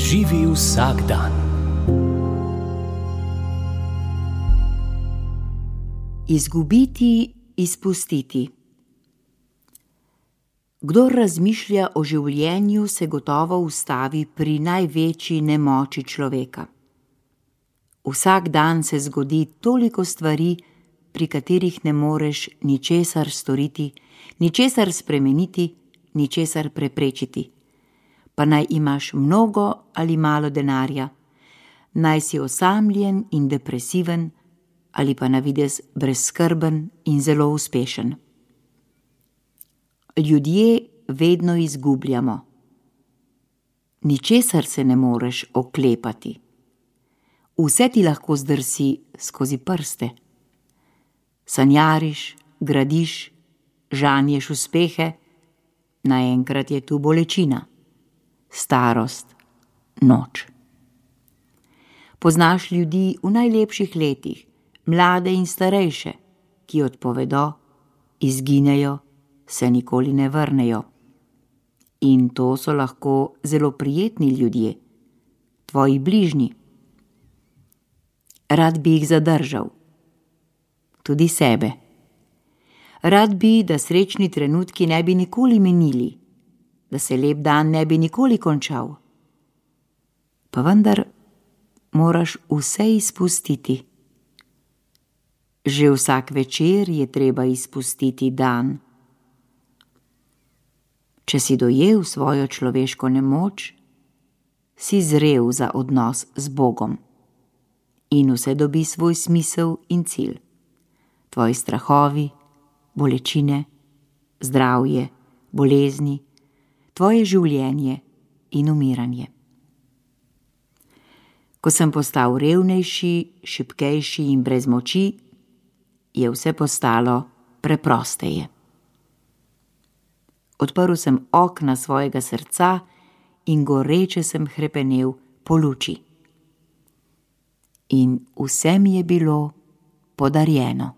Živi vsak dan. Izgubiti, izpustiti. Kdor razmišlja o življenju, se gotovo ustavi pri največji nemoči človeka. Vsak dan se zgodi toliko stvari, pri katerih ne moreš ničesar storiti, ničesar spremeniti, ničesar preprečiti. Pa naj imaš mnogo ali malo denarja, naj si osamljen in depresiven, ali pa na videz brezskrben in zelo uspešen. Ljudje vedno izgubljamo. Ničesar se ne moreš oklepati. Vse ti lahko zdrsi skozi prste. Sanjariš, gradiš, žanješ uspehe, naenkrat je tu bolečina, starost, noč. Poznaš ljudi v najlepših letih, mlade in starejše, ki odpovedo, izginejo, se nikoli ne vrnejo. In to so lahko zelo prijetni ljudje, tvoji bližnji. Rad bi jih zadržal, tudi sebe. Rad bi, da srečni trenutki ne bi nikoli minili, da se lep dan ne bi nikoli končal. Pa vendar moraš vse izpustiti. Že vsak večer je treba izpustiti dan. Če si dojel svojo človeško nemoč, si zrel za odnos z Bogom. In vse dobi svoj smisel in cilj. Tvoji strahovi, bolečine, zdravje, bolezni, tvoje življenje in umiranje. Ko sem postal revnejši, šibkejši in brez moči, je vse postalo preprosteje. Odprl sem okna svojega srca in goreče sem hrepenel po luči. In vse mi je bilo podarjeno.